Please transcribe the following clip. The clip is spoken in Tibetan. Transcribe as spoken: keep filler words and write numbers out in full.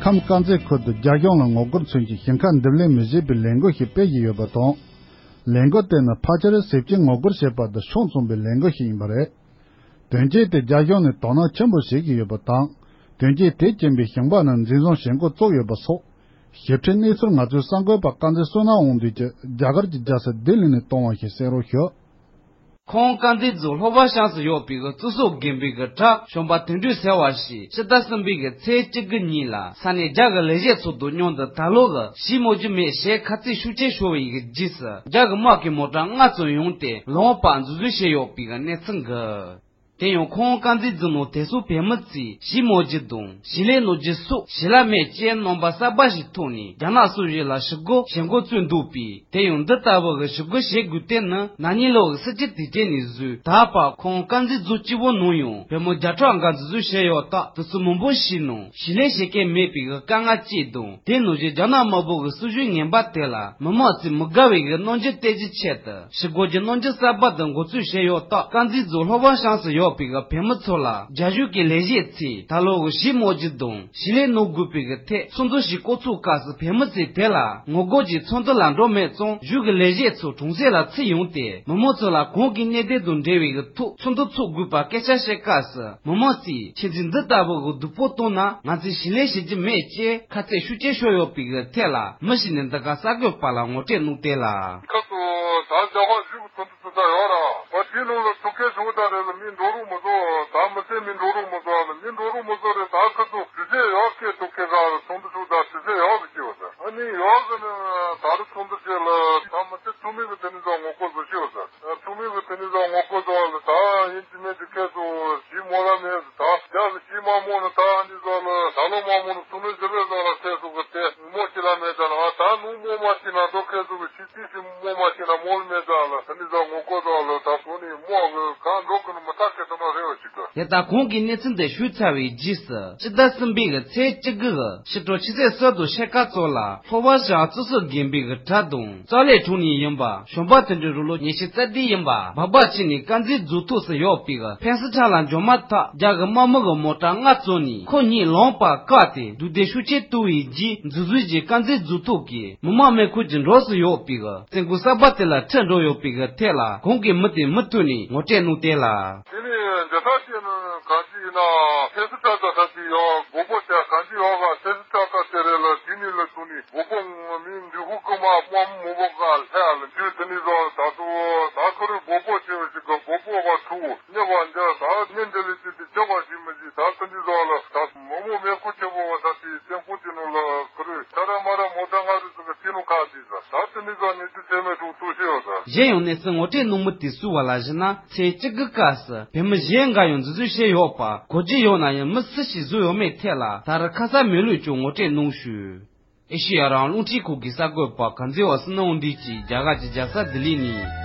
ཁམས་དཀར་མཛེས་ཁུལ་དུ་རྒྱ་གཞུང་ལ་ངོ་རྒོལ་མཚོན་གྱི་ཞིང་ཁ་འདེབས་ལེན་མི་བྱེད་པའི་ལས་འགུལ་ཞིག་སྤེལ་བཞིན་ཡོད་པ་དང་། ལས་འགུལ་དེ་ནི་ཕལ་ཆེར་ཟས་བཅད་ངོ་རྒོལ་བྱེད་པ་དང་ཕྱོགས་མཚུངས་པའི་ལས་འགུལ་ཞིག་ཡིན་པ་རེད། དོན་རྐྱེན་དེ་རྒྱ་གཞུང་ནས་དོ་སྣང་ཆེན་པོ་བྱེད་ཀྱི་ཡོད་པ་དང་། དོན་རྐྱེན་དེ་རྐྱེན་པས་ཞིང་པ་རྣམས་འཛིན་བཟུང་བྱེད་འགོ་བཙུགས་ཡོད་པ་སོགས། ཞིབ་ཕྲའི་གནས་ཚུལ་ང་ཚོའི་གསར་འགོད་པ་དཀར་མཛེས་བསོད་ནམས་དབང་འདུས་ཀྱིས་རྒྱ་གར་གྱི་རྒྱལ་ས་ལྡི་ལི་ནས་གཏོང་བ་ཞིག་གསན་རོགས་ཞུ། ཁོང་དཀར་མཛེས་རྫོང་ལྷོ་བ་ཤང་སུ་ཡོད་པའི་གཙུག་སོག་དགོན་པའི་གྲྭ་གཞོན་པ་དོན་གྲུབ་ཟེར་བ་ཞིག་ཕྱི་ཟླ་གསུམ་པའི་ཚེས་བཅུ་དགུ་ཉིན་ལ་ས་གནས་རྒྱ་གི་ལས་བྱེད་ཚོ་དང་མཉམ་དུ་ད་ལོ་གི་ཞིང་རྨོ་རྒྱུ་མེད་ཞེས་ཁ་ཚིག་ཤུགས་ཆེ་ཤོར་བའི་རྗེས་སུ་རྒྱ་གི་དམག་གིས་མོ་ཊ་ལྔ་ཙམ་ཡོང་སྟེ་ལམ་བར་འཛུལ་ཞུགས་བྱས་ཡོད་པའི་གནས་ཚུལ་འགའ། དེ་ཡང་ཁོང་དཀར་མཛེས་རྫོང་ནང་དེ་སོགས་བོད་མི་ཚོས་ཞིང་རྨོ་རྒྱུ་དང་ཞིང་ལས་གནང་རྒྱུ་སོགས་ཞིང་ལཱ་མེད་ཅེས་རྣམ་པ་གསར་པ་ཞིག་ཐོག་ནས་རྒྱ་ནག་སོག་ཞིག་ལ་ཞུ་སྒོ་བྱེད་འགོ་བཙུགས་འདུག་པས། དེ་ཡང་འདི་ལྟ་བུ་གི་ཞུ་སྒོ་བྱེད་དགོས་དོན་ནི་ན་ནིང་ལོ་གི་སྲིད་སྤྱི་དུས་ཆེན་ནས་བཟུང་ད་བར་ཁོང་དཀར་མཛེས་རྫོང་སྤྱི་བོ་ནང་ཡང་བོད་མི་བརྒྱ་ཕྲག་འགའ་འཛིན་བཟུང་བྱས་ཡོད་སྟབས། དེ་ཚོ་མང་པོ་ཞིག་ནང་ཞིང་ལས་བྱེད་མཁན་མེད་པའི་གི་དཀའ་ངལ་གཅིག་དང་། དེ་ནང་བཞིན་རྒྱ་ནག་དམར་པོ་གི་སྲིད་བྱུས་ངན་པ་དེ་ལ་མི་མང་ཚོས་མི་དགའ་བའི་གི་རྣམ་འགྱུར་སྟོན་རྒྱུའི་ཆེད་དུ་ཞུ་སྒོ་གི་རྣམ་འགྱུར་གསར་པ་དེ་འགོ་འཛུགས་བྱས་ཡོད་སྟབས། དཀར་མཛེས་རྫོང་ལྷོ་བ་ཤང་སུ་ཡོད་པའི་གི་བོད་མི་ཚོ་ལ་རྒྱ་གཞུང་གི་ལས་བྱེད་ཚོས་ད་ལོ་གི་ཞིང་རྨོ་རྒྱུ་དང་ཞིང་ལས་གནང་དགོས་པའི་གི་ཐད་ཚོགས་འདུ་ཞིག་བསྐོང་ཚོགས་སྐབས་སུ་བོད་མི་ཚོས་དེ་ལ་ངོ་རྒོལ་གྱི་ཚོགས་འདུ་ལ་འགྲོ་མེད་ཙང་། གཞུང་གི་ལས་བྱེད་ཚོ་གྲོང་གསེབ་ལ་ཚུར་ཡོང་སྟེ་མི་མང་ཚོ་ལ་གོང་གི་གནད་དོན་དང་འབྲེལ་བའི་གི་ཐོག་ཚོགས་འདུ་འཚོགས་དགོས་པ་སྐད་ཆ་བཤད་སྐབས་སུ། མི་མང་ཚོས་ཁྱེད་ཚོས་འདི་ལྟ་བུ་གི་སྡུག་པོ་བཏང་ན་ང་ཚོས་ཞིང་ལས་བྱེད་རྒྱུ་མེད་ཅེས་ཁ་གཏད་ཤུགས་ཆེ་ཤོར་ཡོད་པའི་གི་ཐད་ལ་མི་ཞིག་ནས་འདི་ག་གསར་འགོད་པ་ལ་ངོ་སྤྲོད་གནང་སྟེ་ལ། ཁ་ཐུག་ད་རྒྱ་གར་གཞུང་གི་ཚོགས་འདུ་ཚོགས་ས་ཡོད་ར། བ་དེའི་ནང་ལ་ཚོགས་མཁན་ཚོ་ད་རེ་ལ་མི་འགྲོ་རུ་མི་བཟོ། ད་མི་ཚེ་མི་འགྲོ་རུ་མི་བཟོ་ལ་མི་འགྲོ་རུ་མི་བཟོ་རེད། ད་ཁ་ཐུག་དུས་ཚོད་ཡག་གི་ཐུག་མཁན་ཚོ་ཚོགས་འདུ་ཚོགས་ད་དུས་ཚོད་ཡག་གི་སྐྱེ་བ་ད་ཨ་ནི་ཡག་གི་ནི་ད་རུ་ཚོགས་འདུ་བྱས་ལ་ད་མི་ཚེ་ཚུགས་མེད་གི་དེ་ནི་ཚོ་ངོ་རྒོལ་བཟོ་སྐྱེ་བ་ད། ཚོགས་མི་གི་དེ་ནི་ཚོ་ངོ་རྒོལ་བཟོ་བ་ལ་ད་ཡིན་གཅིག་མིན་གཅིག་ཁྱེད་ཚོ་ཞིང་རྨོ་ར་མེད་ད་རྒྱ་གི་ཞིང་མ་རྨོ་ནི་ད་ཨ་ནི་ཚོ་ལ་ད་ལོ་མ་རྨོ་ནི་ཚོགས་མི་ཟེར་བའི་ཚོ་ལ་ཁྱེད་ཚོ་གི་དེ་རྨོ་ཅི་ལ་མེད་ད་ན་ད་ནུ་རྨོ་མ་ཤི་ན་འགྲོ། ཁྱེད་ཚོ་གི་ཞིང་ཅི་ཞིག་རྨོ་མ་ཤི་ན་རྨོ་ལ་མེད་ད་ལ་དེ་ནི་ཚོ་ངོ་རྒོལ་བཟོ་བ་ལ་ད་གོ་ནི་རྨོ་གི་གང་འགྲོ་གི་ནི་མི་ད་ཁྱེད་ཚོ་ན་རེ་བ་ཅིག་གི། དེ་ལྟར་གོང་གི་གནས་ཚུལ་འདི་ཞུས་ཚར་བའི་རྗེས་སུ་ཕྱི་ཟླ་གསུམ་པའི་གི་ཚེས་བཅུ་དགུ་གི་ཕྱི་དྲོ་ཆུ་ཚོད་གསུམ་དང་ཕྱེད་ཀ་ཙམ་ལ་ལྷོ་བ་ཤང་གཙུག་སོག་དགོན་པའི་གི་གྲྭ་དང་ཙོ་ལེ་གྲོང་ནས་ཡིན་པ་གཞོན་པ་དོན་གྲུབ་རང་ལོ་ཉི་ཤུ་རྩ་བདུན་ཡིན་པ་སྦག་སྦག་བྱས་ནས་དཀར་མཛེས་རྫོང་ཐོག་སུ་ཡོད་པའི་གི་ཕན་སི་ཁྲ་ལ་འབྱོར་མ་ཐག་རྒྱ་གི་དམག་མི་གི་མོ་ཊ་ལྔ་བཙོངས་ནས་ཁོ་གཉིས་ལམ་བར་བཀག་སྟེ་སྡུག་སྡུག་ཤུགས་ཆེ་བཏང་བའི་རྗེས་འཛུལ་འཛུལ་གྱིས་དཀར་མཛེས་རྫོང་ཐོག་གི་མི་དམངས་མེ་འཁོར་གྱི་འགྲམ་སུ་ཡོད་པའི་གི་བཙོན་ཁང་གསར་པ་དེ་ལ་ཁྲིད་འགྲོ་ཡོད་པའི་གི་ཐད་ལ་གོང་གི་མི་དེས་མུ་མཐུད་ནས་ངོ་སྤྲོད་གནང་སྟེ་ལ། དེ་ནས་འཇའ་ས་ཅན་གང་ཅི་ཡིན་ན་ཕེ་སི་ཏྲ་ད་ས་ཅི་ཡོད་གོ་པོ་བྱ་གང་ཅི་ཡོད་ག་ཕེ་སི་ཏྲ་ད་ཟེར་རེད་ལ་དེ་ནི་ལ་ཐུག་ནི་གོ་པོ་མི་འདི་ཧུ་ཀུ་མ་དམག་མི་མོ་པོ་ག་ལྷ་ལ་འདུས་དེ་ནི་ཟོ་ད་ཚོ་ད་ཁོ་རེ་གོ་པོ་ཆེ་བ་ཞིག་ག་གོ་པོ་བ་ཐུག་ཉེ་བ་འཇའ་ད་ཉེ་འདི་ལི་ཅི་དེ་ཆེ་བ་ཞིག་མི་ཞིག་ད་དེ་ནི་ཟོ་ལ་ད་མོ་མོ་མེ་ཁུ་ཆེ་བོ་བ་ད་དེ་ཏེན་པོ་དེ་ནུ་ལ་ཁོ་རེ་ད་ར་མ་ར་མོ་ད་ང་རེ་ཟོ་ག་དེ་ནུ་ཁ་དེ་ཟ་ད་དེ་ནི་ཟོ་ནི་དེ་ཚེ་མེ་ཐུག་ཐུག་ཤེ་བ་ཟ། གཞན་ཡང་གནས་ཚུལ་ངོ་སྤྲོད་གནང་མི་དེ་སུ་བ་ལ་ཞུ་ན། ཚེས་བཅུ་དགུ་སྐབས་སུ་བོད་མི་གཞན་འགའ་ཡང་འཛིན་བཟུང་བྱས་ཡོད་པ་གོ་རྒྱུ་ཡོད་ན་ཡང་མི་སུ་ཞིག་བཟོས་ཡོད་མེད་ཐད་ལ་ད་རེས་ཁ་གསལ་མེད་ལུགས་ཀྱང་ངོ་སྤྲོད་གནང་ཞུས། ཨེ་ཤེ་ཡ་རང་དབང་རླུང་འཕྲིན་ཁང་གི་གསར་འགོད་པ་དཀར་མཛེས་བསོད་ནམས་དབང་འདུས་ཀྱིས་རྒྱ་གར་གྱི་རྒྱལ་ས་ལྡི་ལི་ནས།